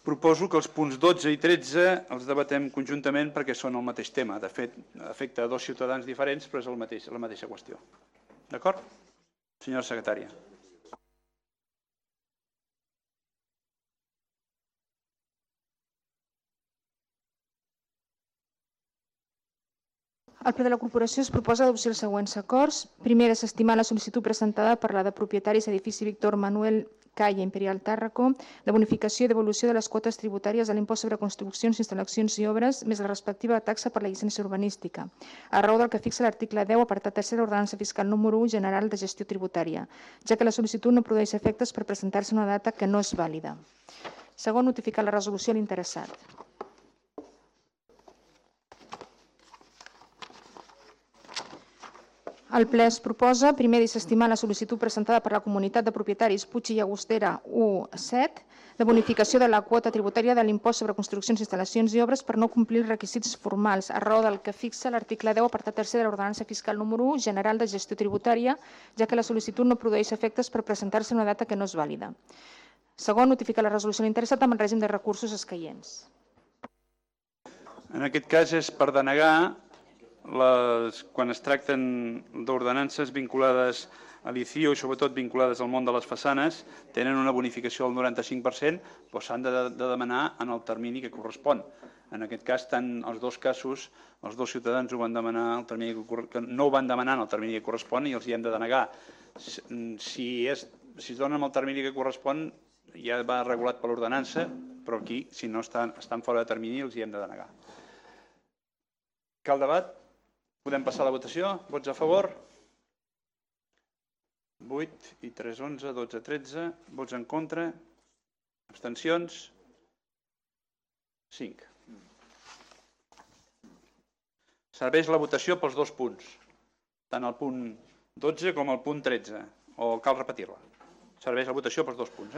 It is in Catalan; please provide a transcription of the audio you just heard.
Proposo que els punts 12 i 13 els debatem conjuntament perquè són el mateix tema. De fet, afecta a dos ciutadans diferents, però és la mateixa qüestió. D'acord? Senyora secretària. Al ple de la corporació es proposa adopció els següents acords. Primer, desestimar la sol·licitud presentada per la de propietaris edifici Víctor Manuel Calle Imperial Tàrraco de bonificació i devolució de les quotes tributàries de l'impost sobre construccions, instal·lacions i obres més la respectiva taxa per la llicència urbanística, a raó del que fixa l'article 10, apartat 3 de l'ordenança fiscal número 1 general de gestió tributària, ja que la sol·licitud no produeix efectes per presentar-se una data que no és vàlida. Segon, notificar la resolució a l'interessat. El ple es proposa, primer, desestimar la sol·licitud presentada per la comunitat de propietaris Puig i Llagostera 1-7 de bonificació de la quota tributària de l'impost sobre construccions, instal·lacions i obres per no complir els requisits formals, a raó del que fixa l'article 10, apartat 3 de l'ordenança fiscal número 1 general de gestió tributària, ja que la sol·licitud no produeix efectes per presentar-se una data que no és vàlida. Segon, notificar la resolució a l'interessat amb el règim de recursos escaients. En aquest cas és per denegar quan es tracten d'ordenances vinculades a l'ICIO i sobretot vinculades al món de les façanes, tenen una bonificació del 95%, però s'han de demanar en el termini que correspon. En aquest cas, tant els dos casos, els dos ciutadans ho van demanar que no ho van demanar en el termini que correspon i els hi hem de denegar. Si es donen el termini que correspon, ja va regulat per l'ordenança, però aquí, si no estan fora de termini, els hi hem de denegar. Cal debat? Podem passar a la votació? Vots a favor? 8 i 3, 11, 12, 13. Vots en contra? Abstencions? 5. Serveix la votació pels dos punts, tant el punt 12 com el punt 13, o cal repetir-la? Serveix la votació pels dos punts,